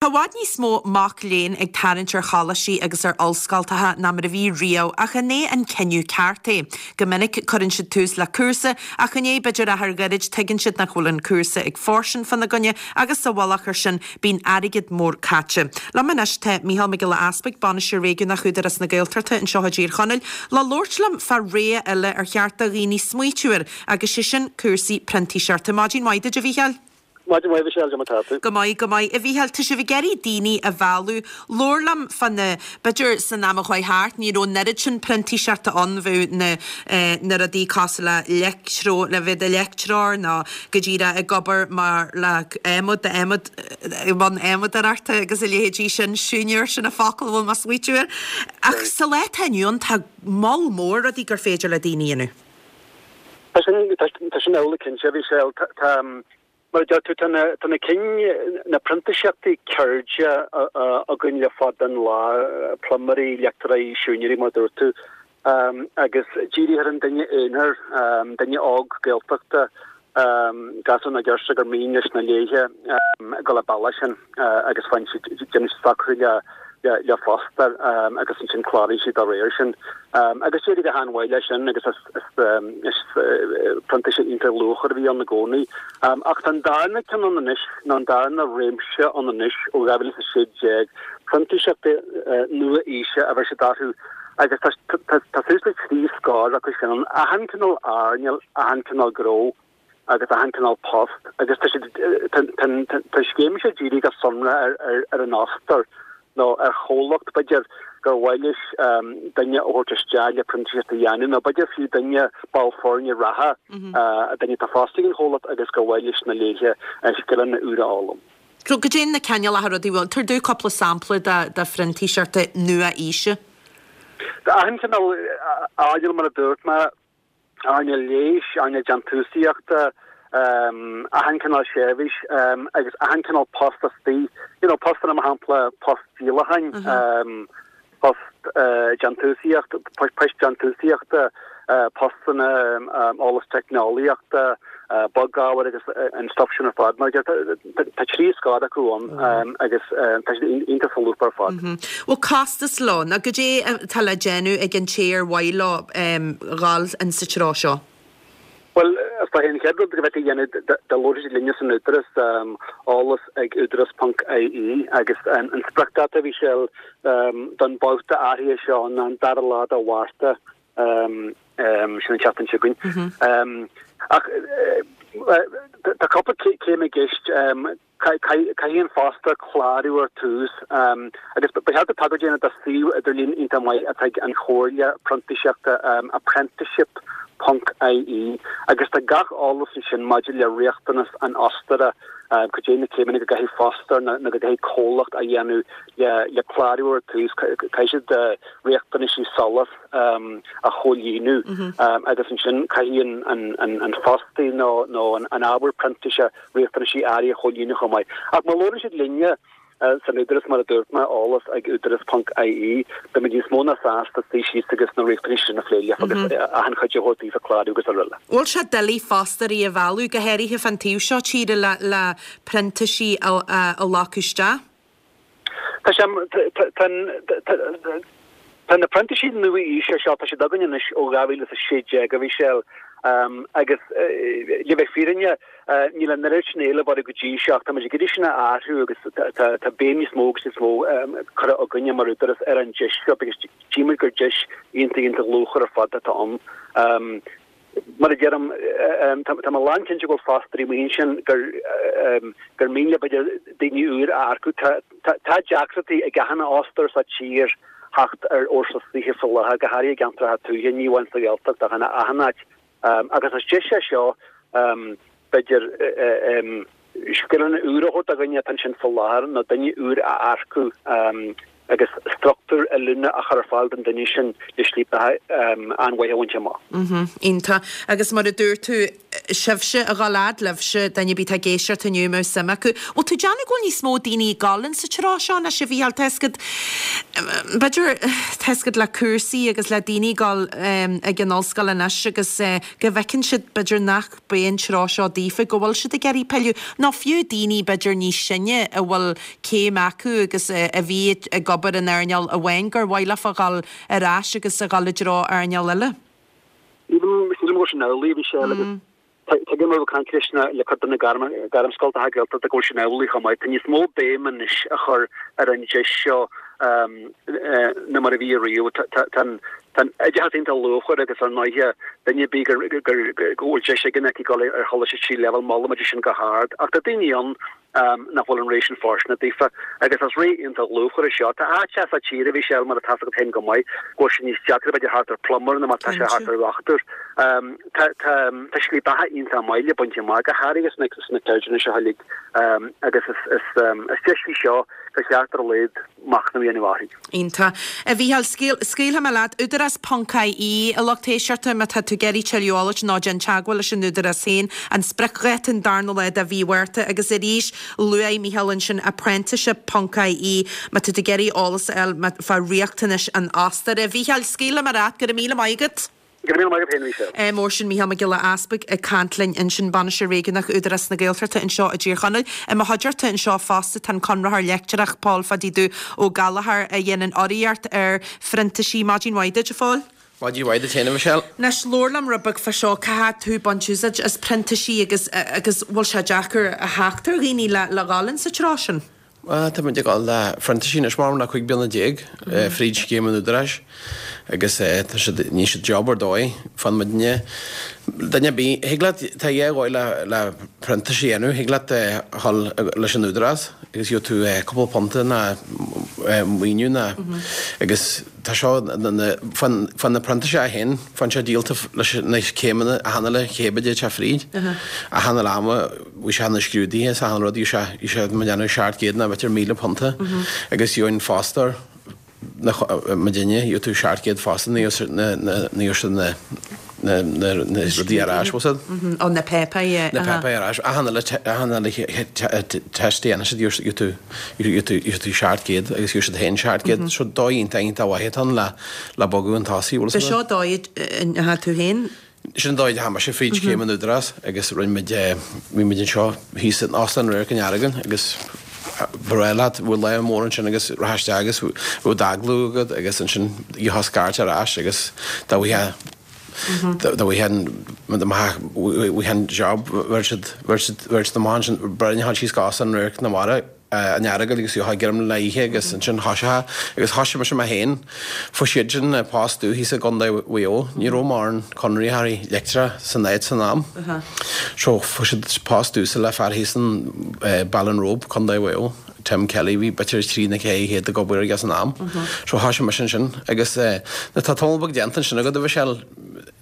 Tá i bhfad níos mó mac léinn ag tarraingt ar choláistí agus ar ollscoltacha ná mar a bhí riamh, ach an é an cinneadh ceart é? Go minic, cuireann siad tús le cúrsa, ach i ndiaidh b'fhéidir achar gairid tuigeann siad nach bhfuil an cúrsa ag fóirstean fána gcoinne agus sa mhullach air sin, bíonn airgead mór caite. Liom anois tá Micheál Mac Giolla Easpaig, Bainisteoir Réigiúnach Údarás na Gaeltachta anseo i dTír Chonaill, le labhairt liom fá rogha eile ar cheart do dhaoine smaoitiú air, agus sé sin cúrsaí printíseachta. Maidin mhaith duit, a Mhícheáil. Maidin mhaith, a Mhichelle, cad é mar tá tú? Go maith, go maith. A Mhícheáil, tá sibh ag iarraidh daoine a mhealladh. Labhair liom fá na, b'fhéidir san am a chuaigh thart, ní raibh an oiread sin printíseachta ann, bheadh na, na rudaí cosúil le leictreo, le bheith i do leictreoir nó go díreach ag obair mar le adhmad, adhmad, i mbun adhmadóireachta agus a leithéidí sin, siúinéir, sin an focal a bhfuil mé ag smaoitiú air. Ach sa lá atá inniu ann, tá moll mór rudaí gur féidir le daoine a dhéanamh. Tá sin, tá sin amhlaidh cinnte, a Mhichelle. Tá, mar a deir tú, tá na, tá na cinn, na printíseachtaí ceirde againn le fada an lá, pluiméirí, leictreoirí, siúinéirí, mar a dúirt tú, agus dírithe ar an duine aonair, duine óg Gaeltachta, gasúr nó girseach gur mian leis nó léithe dul an bealach sin agus faigheann siad, déanann siad socrú le le fostóir agus ansin cláraíonn siad dá réir sin. Agus d'éirigh go han-mhaith leis sin agus is printíseacht iontach luachmhar a bhí ann i gcónaí. Ach tá an darna ceann ann anois, nó an darna réimse ann anois ó 2016, printíseachtaí nua-aoise a bheir siad orthu agus tá suas le 3 scór acu sin ann, achan cineál earnáil, achan cineál gnó. agus achan cineál post agus tá siad tá an scéim seo dírithe go sonrach ar ar an fhostóir nó ar chomhlacht b'fhéidir gur mhaith leis duine a thabhairt isteach le printíseacht a dhéanamh nó b'fhéidir fiú duine ball foirne reatha duine atá fostaithe ag an chomhlacht agus gur mhaith leis nó léithe scileanna úra a fhoghlaim. So cad é na cineálacha rudaí bhfuil, tabhair domh cúpla sampla de de phrintíseachtaí nua-aoise. Tá achan cineál earnáil mar a dúirt mé. earnáil leighis, earnáil déantúsaíochta, achan cineál seirbhís agus achan cineál post istigh, you know, postanna mar shampla post díolacháin, post déantúsaíocht, poist déantúsaíochta, postanna eolas teicneolaíochta, bogábhair agus an stuff sin ar fad. Mar tá 3 scór acu ann agus tá siad iontach solúbtha ar fad. Bhfuil costas leo nó cad é atá le déanamh ag an té ar mhaith leo dhul in sa treo seo? Bhuel, is dóigh an chéad rud go bhféadfaí a dhéanamh dá labhródh siad linne san Údarás, eolas ag údarás ponc ie agus an spriocdháta a Mhichelle don bhabhta áirithe seo ná an dara lá de Mhárta. Sin an tseachtain seo chugainn. Ach tá cúpla céim i gceist. Caithfidh an fostóir clárú ar tús agus ba cheart tagairt a dhéanamh do suíomh idirlín iontach maith atá ag an Chomhairle Printíseachta, apprenticeship ponc ie, agus tá gach eolas ansin maidir le riachtanas an fhostóra, cad é na céimeanna go gcaithfidh fostóir nó go gcaithfidh comhlacht a dhéanamh le clárú ar tús. Caithfidh siad riachtanaisí SOLAS a chomhlíonadh agus ansin caithfidh an fostaí nó an ábhar printíse riachtanaisí áirithe a chomhlíonadh chomh maith. Ach má labhrann siad linne san Údarás, mar a dúirt mé, eolas ag údaras ponc ie, beimid níos mó ná sásta suí síos agus na riachtanaisí sin a phlé libh agus achan chuidiú a thabhairt daoibh ag clárú agus araile. Bhfuil sé doiligh fostóirí a mhealladh, go háirithe fán taobh seo tíre, le printísigh a ghlacadh isteach? Tá sé, tá na printísigh nua-aoise seo, tá siad againn anois ó 2016, a Mhichelle, agus le bheith fírinneach, níl an oiread sin éilimh orthu go dtí seo ach táimid ag iarraidh sin a athrú agus tá béim níos mó agus níos mó curtha againne mar údarás ar an deis seo because tchímid gur deis iontach iontach luachmhar ar fad atá ann. Mar a deirim, tá mé lánchinnte go bhfuil fostóirí amuigh ansin gur gur mian leo b'fhéidir daoine úr a earcú. Tá deacrachtaí ag achan fhostóir sa tír theacht ar fhórsa saothair faoi láthair, go háirithe i gceantracha tuaithe, ní amháin sa Ghaeltacht ach in achan áit. Agus is deis é seo, b'fhéidir, scileanna úra a thabhairt do dhuine atá ansin faoi láthair nó duine úr a earcú agus struchtúr oiliúna a chur ar fáil don duine sin le slí beatha an-mhaith a bhaint amach. Iontach. Agus mar a dúirt tú, sibhse a dhul fhad libhse, duine ar bith atá ag éisteacht inniu a mbeadh suim acu. Bhfuil tú ag déanamh go bhfuil níos mó daoine ag dul in sa treo seo anois a Mhícheáil? Tá a fhios agat. B'fhéidir, tá 'fhios agat le cúrsaí agus le daoine ag dul ag an ollscoil anois agus go bhfeiceann siad b'fhéidir nach b'é an treo seo daofa, go bhfuil siad ag iarraidh pilleadh, nó fiú daoine b'fhéidir níos sine a bhfuil céim acu agus a bhí ag obair in earnáil amháin gur mhaith leofa a dhul ar ais agus a dhul i dtreo earnáil eile. Sílim go bhfuil sin amhlaidh, a Mhichelle, agus Tuigim ó chaint leis na le cuid de na gairmscoltacha Gaeltachta go bhfuil sin amhlaidh chomh maith. Tá níos mó béim anois á chur ar an deis seo ná mar a bhí ariamh. Tá an oideachas iontach luachmhar agus ar ndóighe duine ar bith go bhfuil deis aige nó aici dul ar choláiste tríú leibhéal molaimid sin go hard. Ach tá daoine ann nach bhfuil an ré sin fóirsteanach daofa. Agus is ré iontach luachmhar é seo. Tá áiteacha sa tír, a Mhichelle, mar atá 'fhios agat féin go maith, go bhfuil sé níos deacra b'fhéidir theacht ar plumber ná mar atá sé theacht ar dhochtúir. Tá tá tá slí beatha iontach maith le baint amach, go háirithe sna sna ceirdeanna seo uilig. Agus is is is deis í seo gur cheart ar a laghad machnamh a dhéanamh uirthi. Iontach. A Mhícheáil, scaoilfidh mé leat. Údarás ponc IE, a lucht éisteachta, má tá tú ag iarraidh tuilleadh eolais nó déan teagmháil leis an Údarás féin. An spriocdháta an darna lá de mhí Mhárta agus arís luaigh Mícheál ansin apprenticeship ponc IE má tá tú ag iarraidh eolas a fháil fá riachtanais an fhostóra. A Mhícheáil, scaoilfidh mé leat. Go raibh míle maith agat. Go raibh míle maith agat féin, a Mhichelle. Mór sin Mícheál Mac Giolla Easpaig ag caint linn ansin, Bainisteoir Réigiúnach Údarás na Gaeltachta anseo i dTír Chonaill. I mo chuideachta anseo fosta tá an Conraitheoir Leictreach Pól Phadaí Dubh Ó Gallchóir a dhéanann urraíocht ar phrintísigh. Maidin mhaith duit, a Phóil. Maidin mhaith duit féin, a Mhichelle. Anois, labhair liom rud beag fá seo, cá fhad tú ag baint úsáid as printísigh agus agus bhfuil sé deacair a theacht ar dhaoine le le dhul in sa treo sin? Bhuel, tá muid ag dul le phrintísigh anois mar le 15 bliana fríd scéim an Údaráis agus tá siad, níonn siad job ar dóigh fán muidne. Duine ar bith, thig leat, tá dhá dhóigh le le printís a dhéanamh, thig leat a dhul leis an Údarás agus gheobhaidh tú cúpla punta ná maoiniú ná agus tá seo fán fán na printíseach féin, fán sé díolta leis na céimeanna achan uile chéim a d'fhéadfadh sé fríd, achan uile ama. Bhí sé na scrúduithe is achan rud, bhí sé, bhí sé mo dhéanamh 700 ná b'fhéidir 1,000 punta agus gheobhainn fostóir na, mo duine, gheobhaidh tú 700 fosta ní gheobhaidh siad na, na, na, na rudaí ar ais, bhfuil 's a'd? Ó, na páipéir, yeah. Na páipéir ar ais, achan uile, achan uile test a dhéanann siad, gheobhaidh tú, gheobhaidh tú, gheobhaidh tú 700 agus gheobhaidh siad féin 700, so dóigh iontach, iontach mhaith atá ann le, le bogadh chun tosaigh, bhfuil 's a'd? B'seo dóigh a ndeachaigh tú féin? Sin an dóigh a ndeachaigh mise fríd scéim an Údarás agus rinne muid, bhí muid anseo thíos in Óstán Radharc an Earagail agus ba bhreá leat, bhí lá mór ansin agus rachfá isteach agus bheadh d'agallamh agat agus ansin gheofá scairt ar ais agus dá bhfaighfeá, dá bhfaighfeá an, dá bhfaighfeá an job bheir siad, bheir siad, bheir siad amach ansin, ba bhreá leat síos go Óstán Radharc na Mara. an Earagail agus gheofá greim le ithe agus ansin thoiseofá agus thoisigh mise mé féin. Fuair siad sin post domh thíos i gContae Mhaigh Eo. Ní raibh mórán conraitheoirí leictreacha san áit san am. So fuair siad post domhsa le fear thíos in Ballinrobe, Contae Mhaigh Eo, Tim Kelly, bhí b'fhéidir trí nó 400 ag obair aige san am. So thoisigh mise ansin agus nuair tá tamall beag déanta ansin agat a Mhichelle,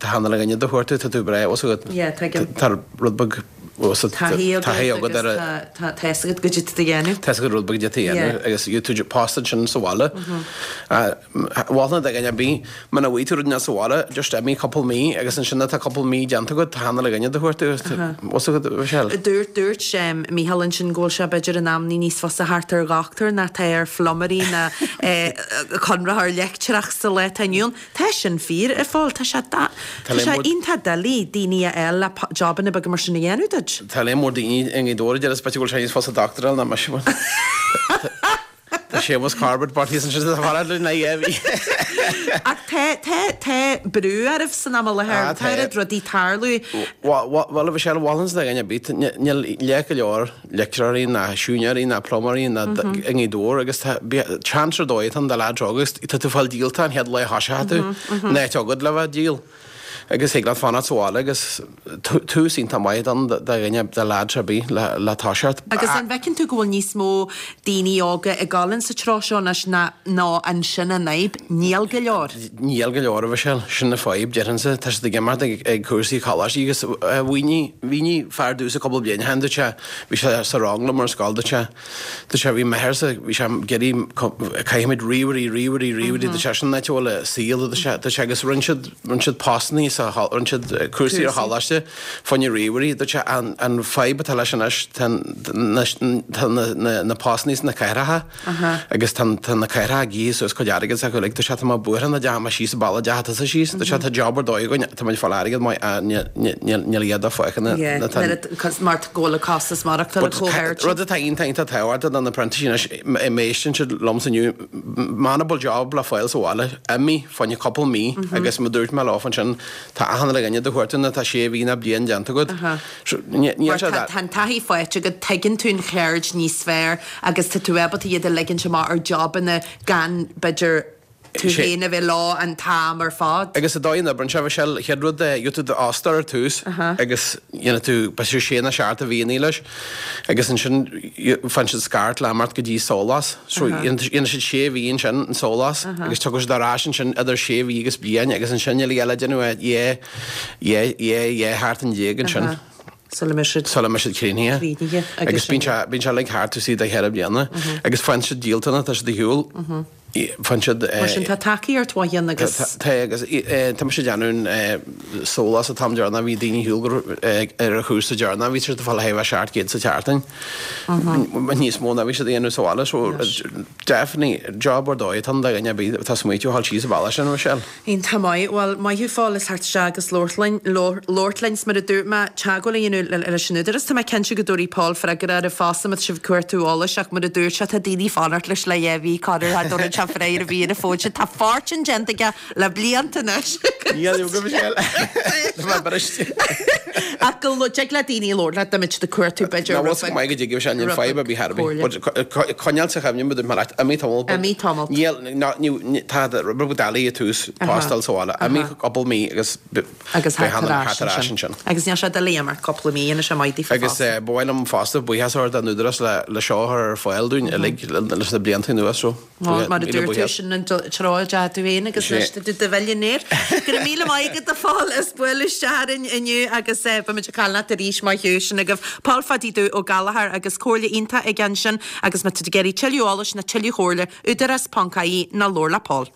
Tá achan uile dhuine do chuartú, tá tú breá, bhfuil 's agat. Yeah, tuigim. Tá rud beag, bhfuil 's agat, Taithí agat taithí agat ar a. Tá tá 'fhios agat goidé tá tú a dhéanamh. Tá 'fhios agat rud beag goidé tá a dhéanamh agus gheobhaidh tú post ansin sa bhaile. Mholfainn do dhuine ar bith, muna bhfaighidh tú rud inteacht sa bhaile, just imigh cúpla mí agus ansin tá cúpla mí déanta agat, tá achan uile dhuine do chuartú, bhfuil 's agat, Michelle. Dúirt, dúirt Mícheál ansin go bhfuil sé b'fhéidir in amannaí níos fusa theacht ar dhochtúir ná atá ar phluiméirí ná conraitheoir leictreach sa lá atá inniu ann. Tá sin fíor, a Phóil. Tá sé tá sé iontach doiligh daoine a fháil le jobanna beaga mar sin a dhéanamh duit. Tá léim mór daoine i nGaoth Dobhair a deir is b'fhéidir go bhfuil sé níos fusa dochtúir a fháil ná mise. Tá Séamus Corbett beirt thíos ansin sa bhaile le na dhá mhí. Ach tá tá tá brú oraibh san am i láthair. Tá oiread rudaí ag tarlú. Bhuel, a Mhichelle, mholfainnse do dhuine ar bith, níl leath go leor leictreoirí ná siúinéirí ná pluiméirí ná i nGaoth Dobhair agus tá chance ar dóigh atá ann do leaids óga agus tá tú fáil díolta an chéad lá a thoiseoidh tú an áit agat le bheith díol agus thig leat fanacht sa bhaile agus tús iontach maith atá ann do dhuine do leaids ar bith le le toiseacht. Agus an bhfeiceann tú go bhfuil níos mó daoine óga ag dul in sa treo seo anois ná ná ansin an fhadhb? Níl go leor. Níl go leor, a Mhichelle. Sin an fadhb, déarfainnse. Tá siad ag imeacht ag cúrsaí coláistí agus mhínigh, mhínigh fear domhsa cúpla bliain ó shin, dúirt sé, bhí sé sa rang liom ar an scoil, dúirt sé, dúirt sé, bhí m'athairse, bhí sé ag iarraidh, caithfimid ríomhairí, ríomhairí, ríomhairí, dúirt sé, sin an áit a bhfuil an saol, dúirt sé, dúirt sé, agus rinne siad, rinne siad postannaí. céimeanna sa rinne siad cúrsaí ar choláiste fá choinne ríomhairí. Dúirt sé an an fadhb atá leis anois tá tá na na postanna sna cathracha agus tá tá na cathracha ag ithe suas cuid airgid s'acu uilig. Dúirt sé tá mé buartha nach dteachaidh mé síos an bealach a ndeachaigh tusa síos. Dúirt sé tá job ar dóigh againn tá muid ag fáil airgead maith ach níl níl iad á fáil na na tá mar go bhfuil an costas maireachtála chomh hard. Rud atá iontach iontach tábhachtach do na printísigh anois má éisteann siad liomsa inniu muna bhfuil job le fáil sa bhaile, imigh fá choinne cúpla mí agus mar dúirt mé leofa ansin, tá achan uile dhuine do chuartú nuair atá sé mhí nó bliain déanta agat. Níl sé Tá an taithí faighte agat, tuigeann tú an cheird níos fearr agus tá tú ábalta iad a ligint amach ar jobanna gan, b'fhéidir, tú féin a bheith leo an t-am ar fad. Agus an dóigh a n-oibríonn sé, Michelle, chéad rud é, gheobhaidh tú d'fhostóir ar tús agus dhéanfaidh tú, b'fhéidir sé nó seacht de mhíonna leis agus ansin faigheann siad scairt le imeacht go dtí SOLAS. So dhéanfaidh siad sé mhí ansin in SOLAS agus tiocfaidh siad ar ais ansin idir sé mhí agus bliain agus ansin uilig eile déanamh é dhá, dhá, dhá sheachtain déag ansin. Sula mbeidh siad. Sula mbeidh siad críochnaithe. Críochnaithe agus. Agus bíonn sé, bíonn sé uilig thart taobh istigh de cheithre bliana agus faigheann siad díoltas, tá siad ar shiúl. Faigheann siad. Mar sin tá tacaíocht mhaith ann agus. Tá agus tá mise ag déanamh SOLAS an t-am deireanach bhí daoine ar shiúl go ar an chúrsa deireanach bhí siad ag fáil a 700 sa tseachtain. Níos mó ná bhí siad a dhéanamh sa bhaile so definitely job ar dóigh atá ann do dhuine ar bith atá ag smaoitiú a ghabháil síos an bealach sin, Michelle. Iontach maith. Bhuel, maith thú Phól as theacht isteach agus labhairt linn, labhairt linn. 'S mar a dúirt mé, teagmháil a dhéanamh leis an Údarás. Tá mé cinnte go dtabharfaidh Paul freagra oraibh fosta má tá sibh ag cuartú eolais ach mar a dúirt sé, tá daoine ag fanacht leis le dhá mhí, corruair cha dtabharann sé freagra ar bith ar an bhfón sin. Tá fortune déanta aige le blianta anois. Níl go Michelle. Tá mé briste. Ach go dtig le daoine labhairt leat dá mbeadh siad ag cuartú b'fhéidir Ná rud maith go dtig sé níl fadhb ar bith ar bith. But coinneáil sa chuimhne mar a dúirt mé leat, imigh tamall. Imigh tamall. Níl, ná, tá rud beag doiligh ag tús postáil sa bhaile. Imigh cúpla mí agus Agus theacht ar ais ansin. Agus níl sé doiligh imeacht cúpla mí, dhéanfaidh sé maith daofa Agus fosta. ba mhaith liom fosta buíochas a thabhairt don Údarás le seo a chur ar fáil dúinn uilig leis na blianta anuas so. Bhuel, mar a dúirt tú, sin an treo a dteachaigh tú féin agus anois tá tú i do mhillionaire. Go raibh míle maith agat a Phóil as bualadh isteach orainn inniu agus beimid ag caint leat arís maith thú. Sin agaibh Pól Phadaí Dubh Ó Gallchóir agus comhairle iontach aige ansin agus má tá tú ag iarraidh tuilleadh eolais nó tuilleadh comhairle, údarás.ie nó labhair le Pól.